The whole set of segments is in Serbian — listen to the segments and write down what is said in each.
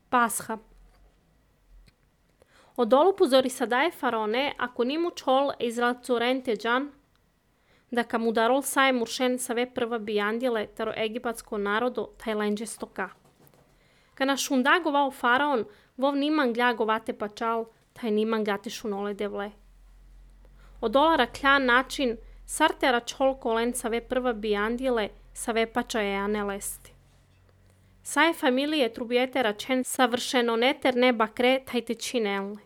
Pascha. Odolo pozori sadae faraone, ако ниму чол израелцурен теджан, дека му дарол сај муршен саве прва бијандиле таро египатско народо тајленџе стока. Кана шунда говао фараон, вов ниман гля говате пачал, тај ниман гате шуноле девле. Одолара кля начин, сартера чол колен саве прва бијандиле, саве пача еане лести. Сај фамилие трубиете рачен съвършено не терне бакре тајте чинелне.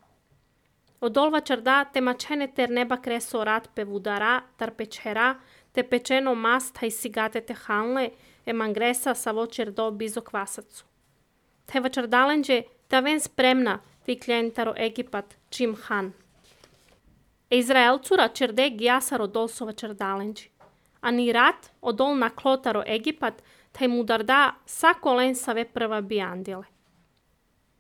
Одолва чарда те мачене терне бакре сорат певудара, тар печера, те печено мас тај сигате те ханле, е мангреса саво чердо бизо квасацу. Те вачардаленџе та вен спремна ти клиентаро Египат чим хан. Израелцура черде гиаса родол со вачардаленџи. Ани рат одол на клотаро Египат тај му дарда са колен саве прва бијандиле.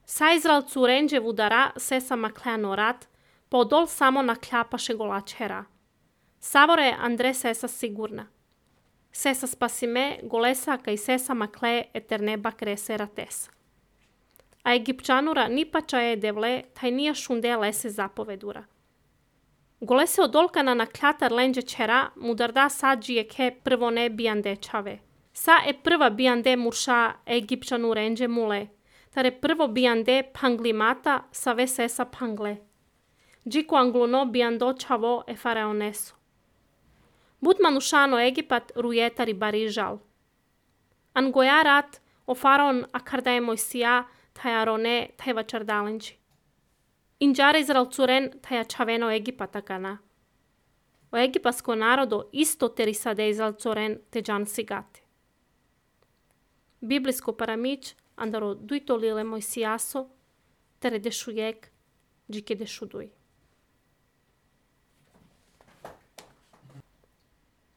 Са израелцуренџе вудара се са маклеано рат, по одол само накљапаше голачера. Саворе Андре се са сигурна. Се са спасиме голеса кај се са макле етерне бакресе ратеса. А египчанура ни пача е девле, тај нија шунде лесе заповедура. Голесе одолка на наклјатар ленџе чера му дарда саджи еке прво не бијанде чаве. Са е прва бијанде мурша египчану ренџе муле, таре прво бијанде панглимата саве сеса пангле. Джико англуно бијандо чаво е фараонесо. Бут манушано Египат рујетари барижал. Ангоја рат о фараон акарда е Мојсија тај ароне тај вачардаленџи. Инџаре израелцурен таја чавено Египата гана. О египатско народо исто терисаде израелцурен теџан сигате. Библиско парамич, андаро дуито лиле Мојсијасо, тере дешујек, джике дешудуј.